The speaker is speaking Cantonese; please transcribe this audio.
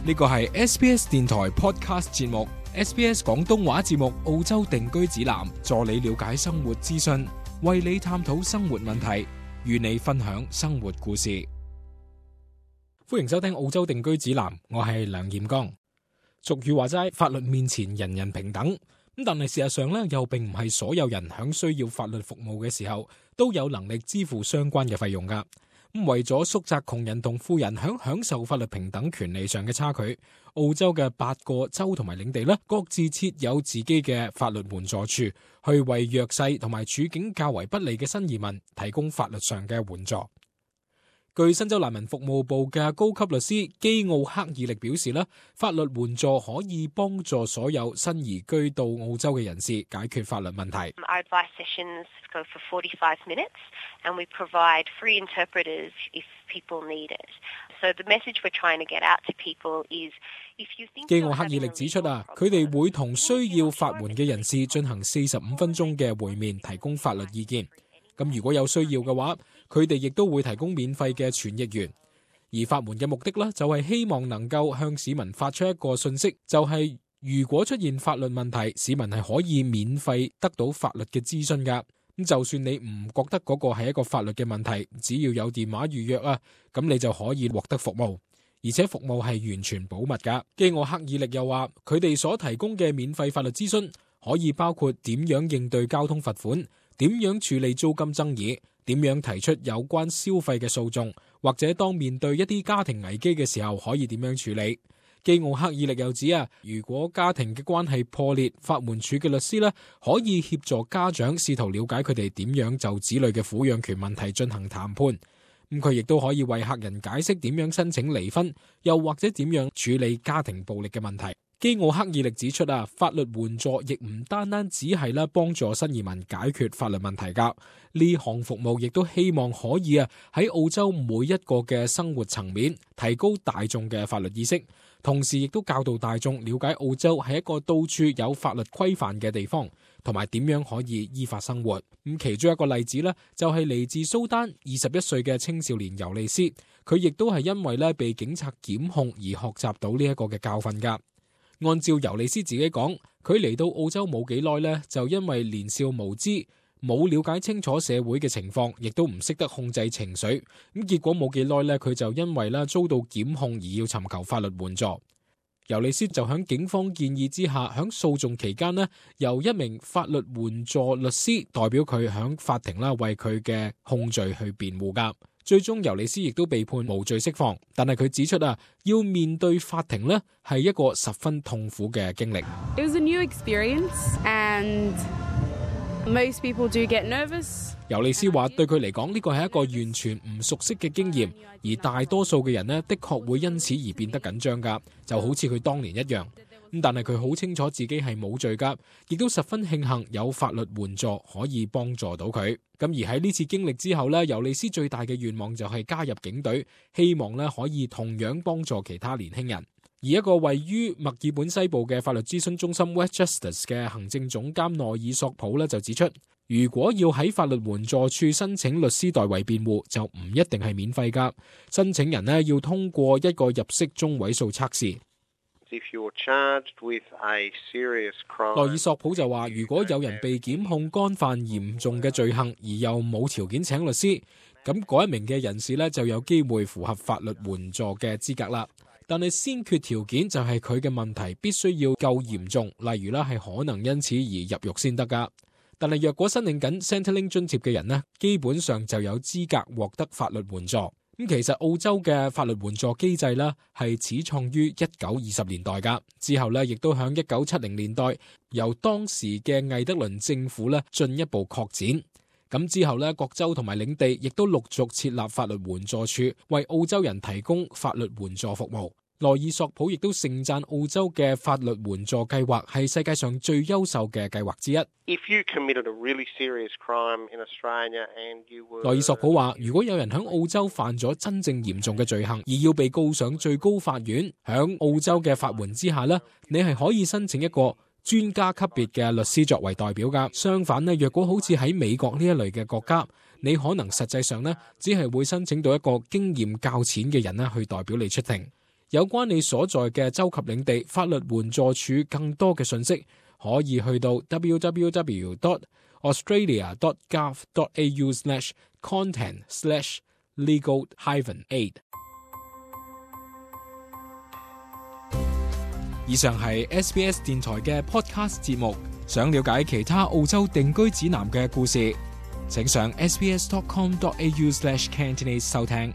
呢個係 SBS 電台 Podcast 節目 SBS 廣東話節目澳洲定居指南，助你了解生活資訊，為你探討生活問題，與你分享生活故事。歡迎收聽澳洲定居指南，我係梁彥剛。俗語話齋，法律面前人人平等，但係事實上咧，又並唔係所有人響需要法律服務嘅時候都有能力支付相關嘅費用噶。為咗縮窄窮人同富人響享受法律平等權利上嘅差距，澳洲嘅8個州同埋領地各自設有自己嘅法律援助處，去為弱勢同埋處境較為不利嘅新移民提供法律上嘅援助。據新州難民服務部嘅高級律師基奧克爾力表示，法律援助可以幫助所有新移居到澳洲嘅人士解決法律問題。Our advice sessions go for 45 minutes and we provide free interpreters if people need it. So the message we're trying to get out to people is if you think 基奧克爾力指出，佢哋會同需要法援嘅人士進行45分鐘嘅會面，提供法律意見。咁如果有需要嘅話，佢哋亦都會提供免費嘅傳譯員。而法援嘅目的就係希望能夠向市民發出一個信息，就係如果出現法律問題，市民係可以免費得到法律嘅諮詢噶。咁就算你唔覺得嗰個係一個法律嘅問題，只要有電話預約咁你就可以獲得服務，而且服務係完全保密噶。基奧克爾力又話，佢哋所提供嘅免費法律諮詢可以包括點樣應對交通罰款，點樣處理租金爭議，點樣提出有關消費嘅訴訟，或者當面對一啲家庭危機嘅時候可以點樣處理。基奧克爾力又指如果家庭嘅關係破裂，法援處嘅律師可以協助家長試圖了解佢哋點樣就子女嘅撫養權問題進行談判。佢亦都可以為客人解釋點樣申請離婚，又或者點樣處理家庭暴力嘅問題。基奧克爾力指出法律援助亦唔單單只係幫助新移民解決法律問題噶，呢項服務亦都希望可以喺澳洲每一個嘅生活層面提高大眾嘅法律意識，同時亦都教導大眾了解澳洲係一個到處有法律規範嘅地方，同埋點樣可以依法生活。咁其中一個例子就係嚟自蘇丹21歲嘅青少年尤利斯，佢亦都係因為被警察檢控而學習到呢一個嘅教訓噶。按照尤利斯自己講，佢嚟到澳洲冇幾耐就因為年少無知，冇了解清楚社會嘅情況，亦都唔識得控制情緒，咁結果冇幾耐佢就因為遭到檢控而要尋求法律援助。尤利斯就響警方建議之下，響訴訟期間由一名法律援助律師代表佢響法庭為佢嘅控罪去辯護噶。最終尤利斯亦都被判無罪釋放，但係佢指出要面對法庭係一個十分痛苦嘅經歷。It was a new experience and most people do get nervous. 尤利斯話對佢嚟講呢個係一個完全唔熟悉嘅經驗，而大多數嘅人的確會因此而變得緊張噶，就好似佢當年一樣。但係佢好清楚自己係冇罪噶，亦都十分慶幸有法律援助可以幫助到佢。咁而喺呢次經歷之後尤利斯最大嘅願望就係加入警隊，希望可以同樣幫助其他年輕人。而一個位於墨爾本西部嘅法律諮詢中心 West Justice 嘅行政總監內爾索普就指出，如果要喺法律援助處申請律師代為辯護，就唔一定係免費噶。申請人要通過一個入息中位數測試。內爾索普就話，如果有人被檢控干犯嚴重嘅罪行，而又冇條件請律師，咁嗰一名嘅人士就有機會符合法律援助嘅資格啦。但係先決條件就係佢嘅問題必須要夠嚴重，例如係可能因此而入獄先得噶。但係若果申領緊 Centrelink 津貼嘅人基本上就有資格獲得法律援助。咁其實澳洲嘅法律援助機制係始創於1920年代噶，之後亦都響1970年代由當時嘅魏德倫政府進一步擴展。咁之後各州同埋領地亦都陸續設立法律援助處，為澳洲人提供法律援助服務。內爾索普亦都盛讚澳洲嘅法律援助計劃係世界上最優秀嘅計劃之一。內爾索普話，如果有人喺澳洲犯咗真正嚴重嘅罪行，而要被告上最高法院，喺澳洲嘅法援之下你係可以申請一個專家級別嘅律師作為代表噶。相反若果好似喺美國呢一類嘅國家，你可能實際上只係會申請到一個經驗較淺嘅人去代表你出庭。有關你所在嘅州及領地法律援助署更多嘅信息，可以去到 www.australia.gov.au/content/legal-aid。以上係 SBS 電台嘅 podcast 節目。想了解其他澳洲定居指南嘅故事，請上 sbs.com.au/Cantonese 收聽。